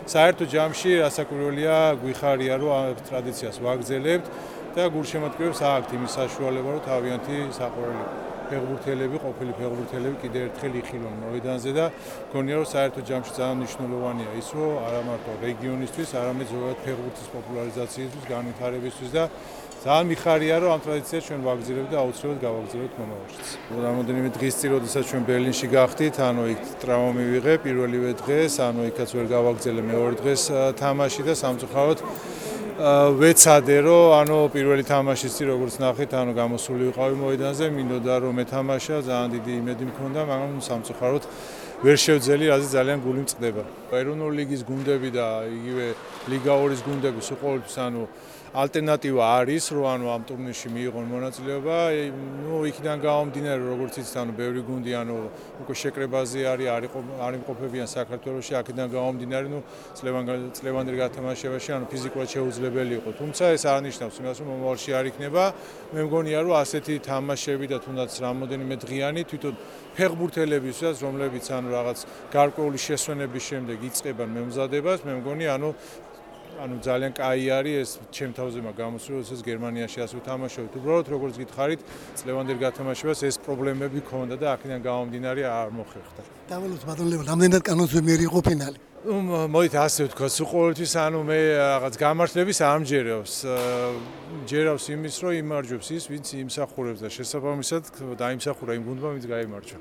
საერთო ჯამში რასაკვირველია, გვიხარია, რომ ამ ტრადიციას ვაგრძელებთ და გულშემატკივრებს აქვთ იმის საშუალება, რომ თავიანთი საყვარელი ფეხბურთელები, ყოფილი ფეხბურთელები კიდევ ერთხელ იხილონ მოედანზე და მგონია, რომ საერთო ჯამში ძალიან მნიშვნელოვანია ის, რომ არა მარტო რეგიონისთვის, არამედ ზოგადად ფეხბურთის პოპულარიზაციისთვის, განვითარებისთვის და ძალიან მიხარია, რომ ამ ტრადიციას ჩვენ ვაგრძელებთ და აუცილებლად გავაგრძელებთ მომავალშიც. რამოდენიმე დღის წინ, როდესაც ჩვენ ბერლინში გავხდით, ანუ იქ ტრავმა მივიღე პირველივე დღეს, ანუ იქაც ვერ გავაგრძელე მეორე დღეს თამაში და სამწუხაროდ ვეცადე, რომ ანუ პირველი თამაშის წინ როგორც ნახეთ, ანუ გამოსული ვიყავი მოედანზე, მინდოდა რომ მეთამაშა, ძალიან დიდი იმედი მქონდა, მაგრამ სამწუხაროდ ვერ შევძელი, რაზეც ძალიან გული მწყდება. ეროვნული ლიგის გუნდები და იგივე ლიგა ორის გუნდები სულ ყოველთვის ანუ ალტერნატივა არის, რომ ანუ ამ ტურნირში მიიღონ მონაწილეობა, ნუ იქიდან გამომდინარე, როგორც იცით, ანუ ბევრი გუნდი ანუ უკვე შეკრებაზე არის, არ იმყოფებიან საქართველოში, აქედან გამომდინარე, ნუ წლევანდელ გათამაშებაში ანუ ფიზიკურად შეუძლებელი იყო. თუმცა ეს არ ნიშნავს იმას, რომ მომავალში არ იქნება. მე მგონია, რომ ასეთი თამაშები და თუნდაც რამოდენიმე დღიანი თვითონ ფეხბურთელებისაც, რომლებიც ანუ რაღაც გარკვეული შესვენების შემდეგ იწყებენ მემზადებას, მე მგონი ანუ ანუ ძალიან კაი არის ეს ჩემ თავზე მაგ გამოსული, როდესაც გერმანიაში ასე ვთამაშობთ. უბრალოდ როგორც გითხარით, წლევანდელ გათამაშებას ეს პრობლემები ქონდა და აქედან გამომდინარე არ მოხერხდა. დავალოთ ბატონ ლევან, რამდენად კანონზე მიერი იყო ფინალი? მოდით ასე ვთქვა, სულ ყოველთვის ანუ მე რაღაც გამართლების არ მჯერავს. ჯერავს იმის, რომ იმარჯვებს ის, ვინც იმსახურებს და შესაბამისად დაიმსახურა იმ გუნდმა, ვინც გაიმარჯვა.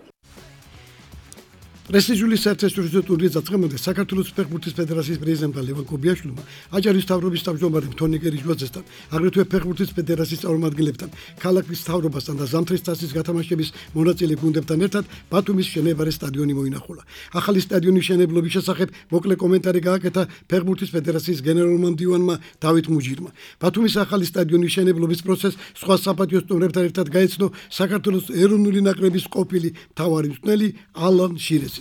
პრესტიჟული საერთაშორისო ტურნირის დაწყებამდე საქართველოს ფეხბურთის ფედერაციის პრეზიდენტმა ლევან კობიაშვილმა აჭარის მთავრობის თავმჯდომარე თონი გერიჯვაძესთან, აგრეთვე ფეხბურთის ფედერაციის წარმომადგენლებთან, ქალაქის მთავრობასთან და ზამთრის თასის გათამაშების მონაწილე გუნდებთან ერთად ბათუმის შენებარე სტადიონი მოინახულა. ახალი სტადიონის მშენებლობის შესახებ მოკლე კომენტარი გააკეთა ფეხბურთის ფედერაციის გენერალურმა მდივანმა დავით მუჯირმა. ბათუმის ახალი სტადიონის მშენებლობის პროცესს სხვა საპატიო სტუმრებთან ერთად გაეცნო საქართველოს ეროვნული ნაკრების ყოფილი მთავარი მწვრთნელი ალან შირეზი.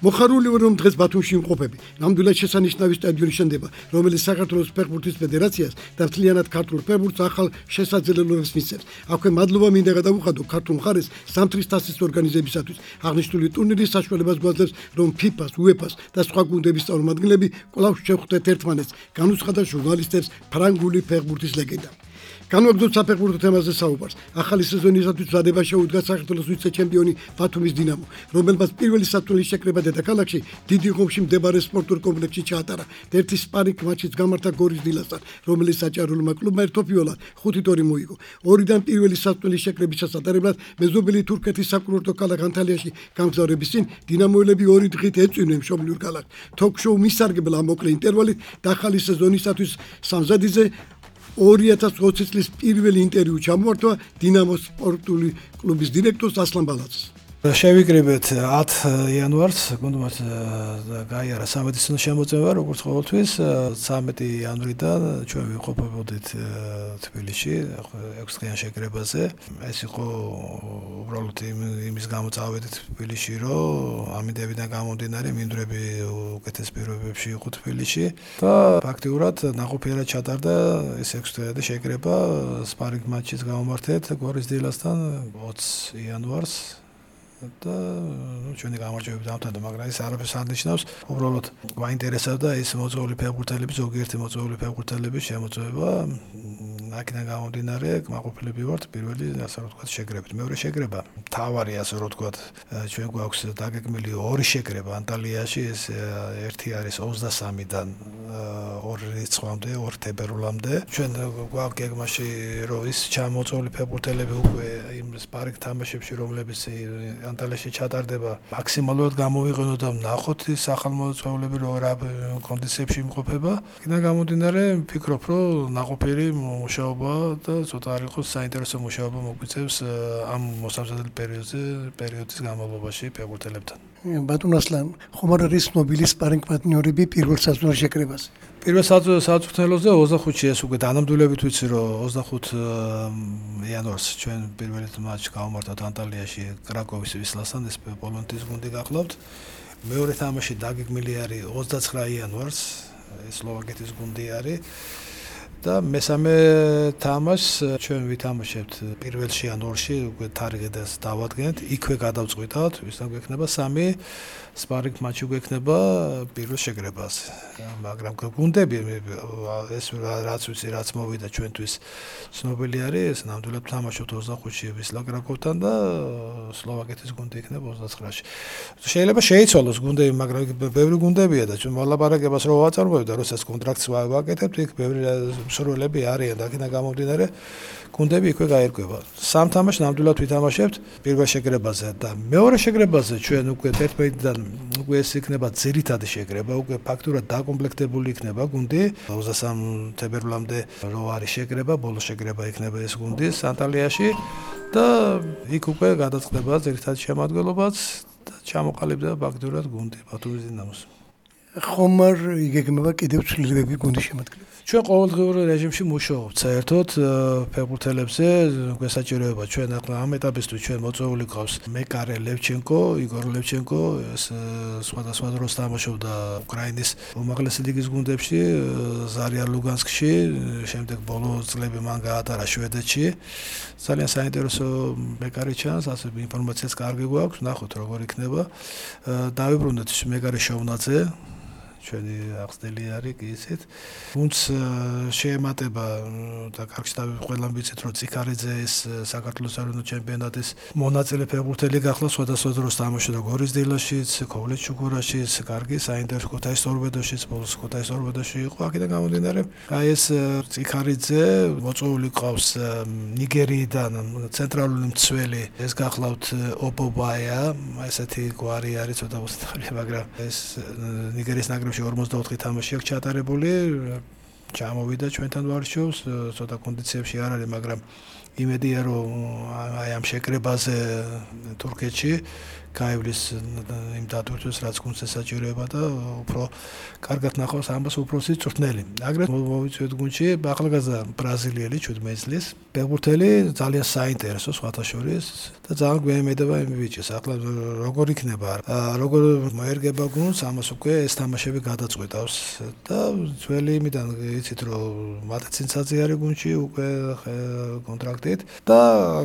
მოხარული ვარ, რომ დღეს ბათუმში იმყოფები. ნამდვილად შესანიშნავი სტადიონი შენდება, რომელიც საქართველოს ფეხბურთის ფედერაციას და მთლიანად ქართულ ფეხბურთს ახალ შესაძლებლობებს მისცემს. აქვე მადლობა მინდა გადავუხადო ქართულ მხარეს ზამთრის თასის ორგანიზებისათვის. აღნიშნული ტურნირის საშუალებას გვაძლევს, რომ ფიფას, უეფას და სხვა გუნდების წარმომადგენლები კვლავ შევხვდეთ ერთმანეთს, განუცხადა ჟურნალისტებს ფრანგული ფეხბურთის ლეგენდა. განვაგრძობთ საფეხბურთო თემაზე საუბარს. ახალი სეზონისათვის მზადება შეუდგა საქართველოს ვიცე-ჩემპიონი ბათუმის დინამო, რომელმაც პირველი საწვრთნის შეკრება დედაქალაქში დიდი ხომში მდებარე სპორტულ კომპლექსში ჩაატარა. ერთი სპარინგ მატჩიც გამართა გორის დილასთან, რომელიც საჭარულმა კლუბმა ერთოფიოლად ხუთით ორი მოიგო. ორიდან პირველი საწვრთნის შეკრების ჩასატარებლად მეზობელი თურქეთის საკურორტო ქალაქ ანტალიაში გამგზავრების წინ დინამოელები ორი დღით ეწვივნენ მშობლიურ ქალაქს. თოქ-შოუ მისარგებლა მოკლე ინტერვალით და ახალი სეზონისათვის სამზადიზე ორი ათას ოცი წლის პირველი ინტერვიუ ჩამოართვა დინამოს სპორტული კლუბის დირექტორს ასლან ბალაძეს. შევიკრიბეთ ათი იანვარს, გუნდმაც გაიარა სამედიცინო შემოწმება, როგორც ყოველთვის, ცამეტი იანვრიდან ჩვენ ვიყოფებოდით თბილისში, ექვსი დღიან შეკრებაზე. ეს იყო უბრალოდ იმის გამო წავედით თბილისში, რომ ამინდებიდან გამომდინარე მინდვრები უკეთეს პირობებში იყო თბილისში და ფაქტიურად ნაყოფიერად ჩატარდა ეს ექვსი დღიანი შეკრება სპარინგ მატჩის გამომართეთ გორის დილასთან ოცი იანვარს და ჩვენი გამარჯვებით დამთავრდა, მაგრამ ეს არაფერს არ ნიშნავს. უბრალოდ გვაინტერესებდა ეს მოწვეული ფეხბურთელების, ზოგიერთი მოწვეული ფეხბურთელების შემოწმება. აქედან გამომდინარე, კმაყოფილები ვართ პირველი, ასე რომ ვთქვათ, შეკრებით. მეორე შეკრება, მთავარი, ასე რომ ვთქვათ, ჩვენ გვაქვს დაგეგმილი ორი შეკრება ანტალიაში, ეს ერთი არის ოცდასამიდან ორი რიცხვამდე, ორი თებერვლამდე. ჩვენ გვაქვს გეგმაში, რომ ის ჩამოწვეული ფეხბურთელები უკვე იმ სპარინგ თამაშებში, რომლებიც ანტალიაში ჩატარდება, მაქსიმალურად გამოვიყენოთ და ვნახოთ ის ახალმოწვეულები რო რა კონდიციებში იმყოფება. იქიდან გამომდინარე, ვფიქრობ, რომ ნაყოფიერი მუშაობა და ცოტა არ იყოს საინტერესო მუშაობა მოგვიწევს ამ მოსამზადებელი პერიოდზე, პერიოდის განმავლობაში ფეხბურთელებთან. ბატონ ასლან, ხომ არ არის ცნობილი სპარინგ პარტნიორები პირველ საზღვარ შეკრებაზე? პირველ საწყուցნელოზე ოცდახუთში ეს უკვე დანამდვილებით ვიცი, რომ ოცდახუთი იანვარს ჩვენ პირველი მატჩი გავმართოთ ანტალიაში კრაკოვის ვისლასთან, ეს პოლონეთის გუნდი გახლავთ. მეორე თამაში დაგეგმილი არის ოცდაცხრა იანვარს, ეს სლოვაკეთის გუნდი არის. და მესამე თამაშს ჩვენ ვითამაშებთ პირველში ან ორში უკვე თარიღებას დავადგენთ, იქვე გადავწყვიტავთ, ვისთან გვექნება სამი სპარინგ მატჩი გვექნება პირველ შეკრებაზე. მაგრამ გუნდები ეს რაც ვიცი, რაც მოვიდა ჩვენთვის ცნობილი არის, ეს ნამდვილად თამაშობთ ოცდახუთში ვისლა კრაკოვთან და სლოვაკეთის გუნდი იქნება ოცდაცხრაში. შეიძლება შეიცვალოს გუნდები, მაგრამ ბევრი გუნდებია და ჩვენ მოლაპარაკებას რო ვაწარმოებთ და როდესაც კონტრაქტს ვაკეთებთ, იქ ბევრი მსურველები არიან და აქედან გამომდინარე გუნდები იქვე გაერკვევა. სამ თამაშს ნამდვილად ვითამაშებთ პირველ შეკრებაზე და მეორე შეკრებაზე ჩვენ უკვე ერთმანეთთან უკვე ეს იქნება ძირითადი შეკრება, უკვე ფაქტურად დაკომპლექტებული იქნება გუნდი. ოცდასამი თებერვლამდე რო არის შეკრება, ბოლო შეკრება იქნება ეს გუნდი ანტალიაში და იქ უკვე გადაწყდება ძირითადი შემადგენლობაც და ჩამოყალიბდა ფაქტურად გუნდი ბათუმის დინამოს. ხომ არ იგეგმება კიდევ ცვლილებები გუნდის შემადგენლობაში? ჩვენ ყოველდღიურ რეჟიმში მუშაობთ საერთოდ ფეხბურთელებზე, გვესაჭიროება ჩვენ ახლა ამ ეტაპისთვის ჩვენ მოწვეული გვყავს მეკარე ლევჩენკო, იგორ ლევჩენკო, ეს სხვადასხვა დროს თამაშობდა უკრაინის უმაღლესი ლიგის გუნდებში, ზარია ლუგანსკში, შემდეგ ბოლო წლები მან გაატარა შვედეთში. ძალიან საინტერესო მეკარე ჩანს, ასე ინფორმაციაც კარგი გვაქვს, ნახოთ როგორ იქნება. დავიბრუნდეთ მეკარე შოვნაძე ჩვენი აღზრდილი არის კი ისეთ. თუმც შეემატება და კარგში ყველამ ვიცით, რომ ციქარიძე ეს საქართველოს ეროვნულ ჩემპიონატის მონაწილე ფეხბურთელი გახლა, სხვადასხვა დროს თამაშობდა გორის დილაშიც, ქოვლეთ ჩუქურაშიც, კარგი საინტერესო ქუთაისის ტორპედოშიც, ბოლოს ქუთაისის ტორპედოში იყო. აქედან გამომდინარე, აი ეს ციქარიძე მოწვეული ყავს ნიგერიიდან ცენტრალური მცველი, ეს გახლავთ ოპობაია, ესეთი გვარი არის ცოტა უსწრაფია, მაგრამ ეს ნიგერიის ნაკრებში ორმოცდაოთხი თამაში აქვს ჩატარებული, ჩამოვიდა ჩვენთან ვარშავს, ცოტა კონდიციებში არ არის, მაგრამ იმედია, რომ აი ამ შეკრებაზე თურქეთში გაივლის იმ დატვირთვას, რაც გუნდს ესაჭიროება და უფრო კარგად ნახავს ამას უფროსი წვრთნელი. აგრეთვე მოვიწვიეთ გუნდში ახალგაზრდა ბრაზილიელი შვიდმეტი წლის ფეხბურთელი, ძალიან საინტერესო სხვათა შორის და ძალიან გვეიმედება იმ ბიჭს. ახლა როგორ იქნება, როგორ მოერგება გუნდს, ამას უკვე ეს თამაშები გადაწყვეტავს და ძველი იმიდან იცით, რომ მატეცინცაძე არის გუნდში უკვე კონტრაქტით და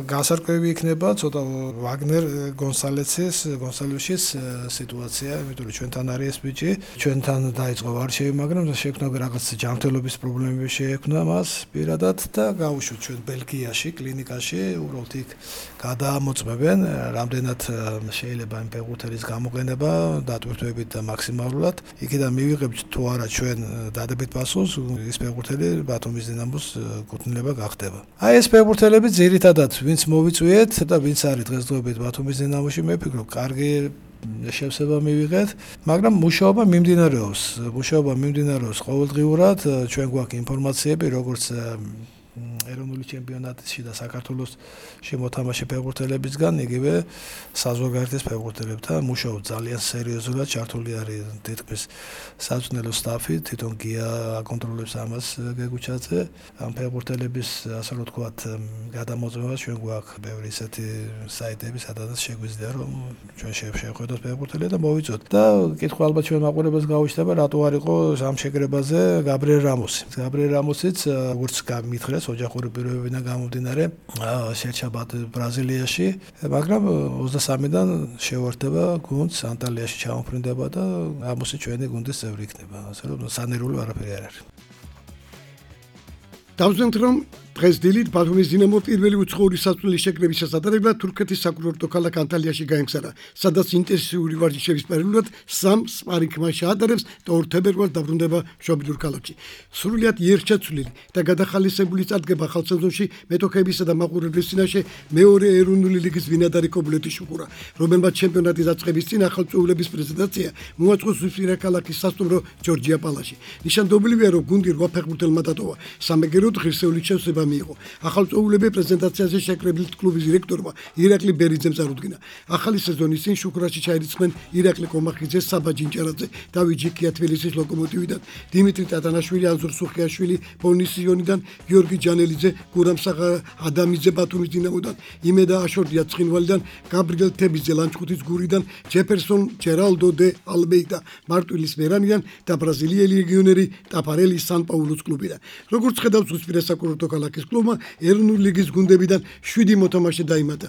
გასარკვევი იქნება ცოტა ვაგნერ გონსალესის გონსალვიშის სიტუაცია, იმიტომ რომ ჩვენთან არის ეს ბიჭი, ჩვენთან დაიწყო ვარშავი, მაგრამ შეექმნა რაღაც ჯანმრთელობის პრობლემები შეექმნა მას პირადად და გაუშვით ჩვენ ბელგიაში, კლინიკაში, უბრალოდ იქ გადაამოწმებენ, რამდენად შეიძლება იმ ფეხბურთელის გამოყენება, დატვირთვებით და მაქსიმალურად. იქიდან მივიღებთ თუ არა ჩვენ დადებით პასუხს, ის ფეხბურთელი ბათუმის დინამოს კუთვნილება გახდება. აი ეს ფეხბურთელები ძირითადად ვინც მოვიწვიეთ და ვინც არის დღესდღეობით ბათუმის დინამოში, მე ვფიქრობ კარგი შევსება მივიღეთ, მაგრამ მუშაობა მიმდინარეობს. მუშაობა მიმდინარეობს ყოველდღიურად, ჩვენ გვაქვს ინფორმაციები, როგორც ეროვნული ჩემპიონატში და საქართველოს შემოთამაშე ფეხბურთელებისგან, იგივე საზოგადოების ფეხბურთელებთან მუშაობ ძალიან სერიოზულად, ჩართული არის თითქმის საწვრთნელო სტაფი, თვითონ გია აკონტროლებს ამას გეგუჩაძე. ამ ფეხბურთელების ასე რომ ვთქვათ, გადამოწმება ჩვენ გვაქვს ბევრი ისეთი საიტები, სადაც შეგვიძლია რომ ჩვენ შევხედოთ ფეხბურთელებს და მოვიწოთ. და კითხვა ალბათ ჩვენ მაყურებელს გაუჩნდება, რატო არ იყო ამ შეკრებაზე გაბრიელ რამოსი. გაბრიელ რამოსიც როგორც გამითხრეს, ოჯახური პირობებიდან გამომდინარე, შეერჩა ბრაზილიაში, მაგრამ ოცდასამიდან შეუერთდება გუნდს, ანტალიაში ჩამოფრინდება და რამოსი ჩვენი გუნდის წევრი იქნება. ასე რომ სანერული არაფერი არ არის. დავზენთ რომ დღეს დილით ბათუმის დინამო პირველი უცხოური საწვრთნელის შეკრების შესაძლებლად თურქეთის საკურორტო ქალაქ ანტალიაში გაემგზავრა, სადაც ინტენსიური ვარჯიშების პერიოდულად სამ სპარინგ მატჩს აატარებს და ორ თებერვალს დაბრუნდება მშობლიურ ქალაქში. სრულიად იერთშეცვლილი და გადახალისებული წარდგება ხალხსეზონში მეტოქეებისა და მაყურებლის წინაშე მეორე ეროვნული ლიგის ბინადარი კობილეთის შუქურა, რომელმაც ჩემპიონატის დაწყების წინ ახალწეულების პრეზენტაცია მოაწყო ზუსტირა ქალაქის სასტუმრო ჯორჯია პალაში. ნიშანდობლივია, რომ გუნდი რვა ფეხბურთელმა დატოვა, სამეგეროდ ღირსეული შესაძლებლობა მიიღო. ახალწეულები პრეზენტაციაზე შეკრებილ კლუბის დირექტორმა ირაკლი ბერიძემ წარუდგინა. ახალი სეზონის წინ შუქრაში ჩაირიცხნენ ირაკლი კომახიძე, საბა ჯინჭარაძე, დავით ჯიქია თბილისის ლოკომოტივიდან, დიმიტრი ტატანაშვილი, ანზორ სუხიაშვილი ბონისიონიდან, გიორგი ჯანელიძე, გურამ ადამიძე ბათუმის დინამოდან, იმედა აშორდია ცხინვალიდან, გაბრიელ თებიძე ლანჩხუთის გურიდან, ჯეფერსონ ჯერალდო დე ალბეიდა მარტვილის მერანიდან და ბრაზილიელი ლეგიონერი ტაპარელი სან-პაულუს კლუბიდან. როგორც ხედავს ზუსტირა საკურორტო ქალაქის კლუბმა ეროვნული ლიგის გუნდებიდან შვიდი მოთამაშე დაიმატა.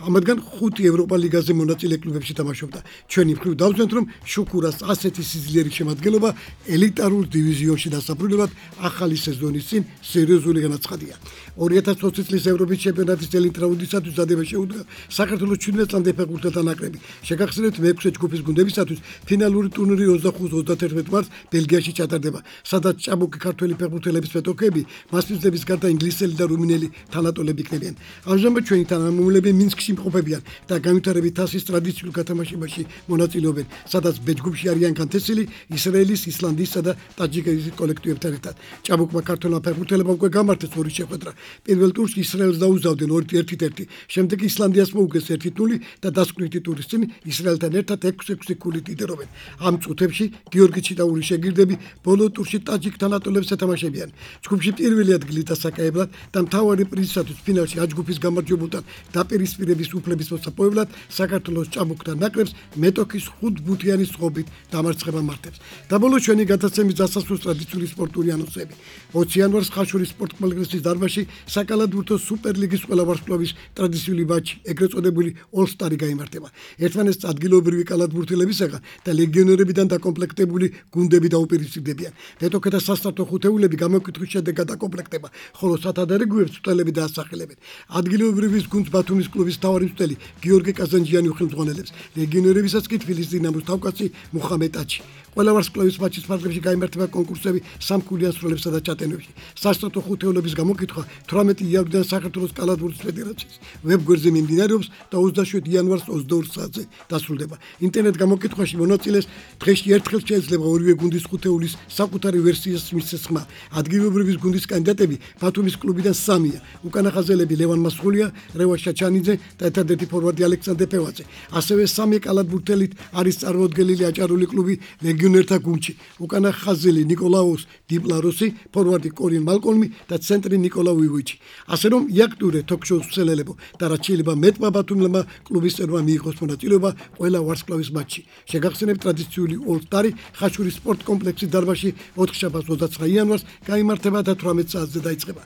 ამათგან ხუთი ევროპა ლიგაზე მონაწილე კლუბებში თამაშობდა. ჩვენი მხრივ დავზვენთ, რომ შუქურას ასეთი სიძლიერის შემადგენლობა ელიტარულ დივიზიონში დასაბრუნებლად ახალი სეზონის წინ სერიოზული განაცხადია. ორი ათას ოცი წლის ევროპის ჩემპიონატის წელით რაუნდისათვის დადება შეუდგა საქართველოს ჩვიდმეტ წამდე ფეხბურთელთა ნაკრები. შეგახსენებთ, მეექვსე ჯგუფის გუნდებისათვის ფინალური ტურნირი ოცდახუთ ოცდათერთმეტ მარტს ბელგიაში ჩატარდება, სადაც ჭაბუკი ქართველი ფეხბურთელების მეტოქეები მასპინძლების გარდა ინგლისელი და რუმინელი თანატოლები იქნებიან. ამჟამად ჩვენი თანამომავლები მინსკში იმყოფებიან და განვითარებით თასის ტრადიციულ გათამაშებაში მონაწილეობენ, სადაც ბ ჯგუფში არიან განთესილი ისრაელის, ისლანდიისა და ტაჯიკეთის კოლექტივებთან ერთად. ჭაბუკმა ქართველმა ფეხბურთელებმა უკვე გამართეს ორი შეხვედრა. პირველ ტურში ისრაელს დაუზავდნენ ერთით ერთი, შემდეგ ისლანდიას მოუგეს ერთი ნული და დასკვნითი ტურის წინ ისრაელთან ერთად ექვსი ექვსი ქულით იდერობენ. ამ წუთებში გიორგი ჩიტაური შეგირდები ბოლო ტურში ტაჯიკ თანატოლებს ეთამაშებიან. ჯგუფში პირველი ადგილი დასაკავებლად და მთავარი პრიზისათვის ფინალში აჯგუფის გამარჯვებულთან დაპირისპირების უფლების მოსაპოვებლად საქართველოს ჭაბუკთან ნაკრებს მეტოქის ხუთბუთიანი სხობით დამარცხება მართებს. და ბოლოს ჩვენი გადაცემის დასასრულს ტრადიციული სპორტული ანონსები. ოცი იანვარს ხაშურის სპორტ კომპლექსის დარბაზში საკალათბურთო სუპერლიგის ყველა ვარსკვლავის ტრადიციული მატჩი, ეგრეთ წოდებული All-Star-ი გაიმართება. ერთმანეთს ადგილობრივი კალათბურთელებისაგან და ლეგიონერებიდან დაკომპლექტებული გუნდები დაუპირისპირდებიან. მეტოქეთა სასტარტო ხუთეულები გამოკითხვის შედეგად დაკომპლექტება, ხოლო სათადარიგოებს წვრთნელები დაასახელებენ. ადგილობრივის გუნდს ბათუმის კლუბის მთავარი მწვრთნელი გიორგი კაზანჯიანი უხელმძღვანელებს, ლეგიონერებისაც კი თბილისის დინამოს თავკაცი მუხამედ ტაჩი. ყველა ვარსკვლავის მატჩის ფარგლებში გაიმართება კონკურსები სამქულიან სროლებსა და ჩატენებში. სასტარტო ხუთეულების გამოკითხვა თვრამეტი იანვრიდან საქართველოს კალათბურთის ფედერაციის ვებგვერდზე მიმდინარეობს და ოცდაშვიდი იანვარს ოცდაორ საათზე დასრულდება. ინტერნეტ გამოკითხვაში მონაწილეს დღეში ერთხელ შეიძლება ორივე გუნდის ხუთეულის საკუთარი ვერსიის მისცეს ხმა. ადგილობრივის გუნდის კანდიდატები ბათუმის კლუბიდან სამია: უკანახაზელები ლევან მასხულია, რევა შაჩანიძე და ერთადერთი ფორვარდი ალექსანდრე პევაძე. ასევე სამი კალათბურთელით არის წარმოდგენილი აჭარული კლუბი ლეგიონერთა გუნდში: უკანახაზელი ნიკოლაუს დიპლაროსი, ფორვარდი კორინ მალკოლმი და ცენტრი ნიკოლა უივოიჩი. ასე რომ იაქტურე თოქ-შოუს მსელელებო და რაც შეიძლება მეტმა ბათუმელმა კლუბის წევრმა მიიღოს მონაწილეობა ყველა ვარსკვლავის მატჩში. შეგახსენებთ, ტრადიციული All-Star-ი ხაშურის სპორტ კომპლექსის დარბაზში ოთხშაბათს ოცდაცხრა იანვარს გაიმართება და თვრამეტ საათზე დაიწყება.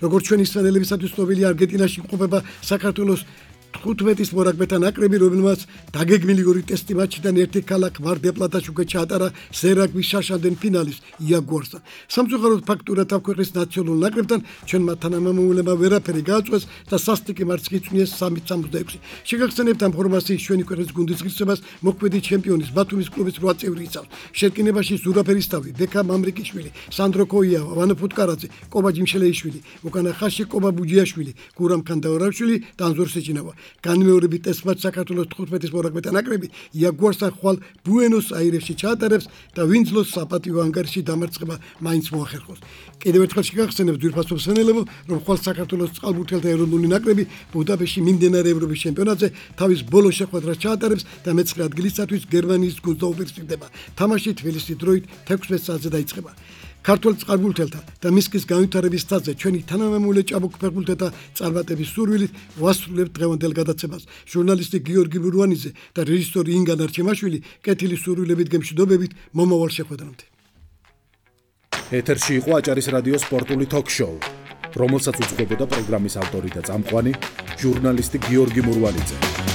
როგორც ჩვენი სპორტსმენელებისათვის ცნობილია, არგენტინაში იმყოფება საქართველოს თხუთმეტის მორაგბეთა ნაკრები, რომელმაც დაგეგმილი ორი ტესტი მატჩიდან ერთი ქალაქ მარ-დელ-პლატაში უკვე ჩაატარა სერაგვის შაშანდენ ფინალის იაგუარსთან. სამწუხაროდ ფაქტურად ამ ქვეყნის ნაციონალურ ნაკრებთან ჩვენმა თანამამულეებმა ვერაფერი გააწვეს და სასტიკი მარტს გიწვნიეს სამი სამოცდაექვსი. შეგახსენებთ, ამ ფორმაციის ჩვენი ქვეყნის გუნდის ღირსებას მოქმედი ჩემპიონის ბათუმის კლუბის რვა წევრი იცავს. შერკინებაში ზურაბ ერისთავი, ბექა მამრიკიშვილი, სანდრო კოიავა, ვანო ფუტკარაძე, კობა ჯიმშელეიშვილი, უკანა ხაზში კობა ბუჯიაშვილი, გურამ ქანდაურაშვილი და ანზორ სეჭინავა. განმეორებით ტესტ-მატჩს საქართველოს თხუთმეტის მორაგბეთა ნაკრები იაგუარსთან ხვალ ბუენოს-აირესში ჩაატარებს და ვინძლოს საპატიო ანგარიში დამარცხება მაინც მოახერხოს. კიდევ ერთხელ შეგახსენებთ ძვირფასო მსმენელებო, რომ ხვალ საქართველოს წყალბურთელთა ეროვნული ნაკრები ბუდაპეშტში მიმდინარე ევროპის ჩემპიონატზე თავის ბოლო შეხვედრას ჩაატარებს და მეცხრე ადგილისათვის გერმანიის გუნდს დაუპირისპირდება. თამაში თბილისის დროით თექვსმეტ საათზე დაიწყება. ქართულ წყალბურთელთა და მისკის განვითარების თაზზე ჩვენი თანამემამულე ჭაბუკ ფეხბურთელთა წარმატების სურვილით ვასრულებთ დღევანდელ გადაცემას. ჟურნალისტი გიორგი ბურვანიძე და რეჟისორი ინგა ნარჩემაშვილი კეთილის სურვილებით გემშვიდობებით მომავალ შეხვედრამდე. ეთერში იყო აჭარის რადიოს სპორტული თოქ-შოუ, რომელსაც უძღვებოდა პროგრამის ავტორი და წამყვანი ჟურნალისტი გიორგი მურვანიძე.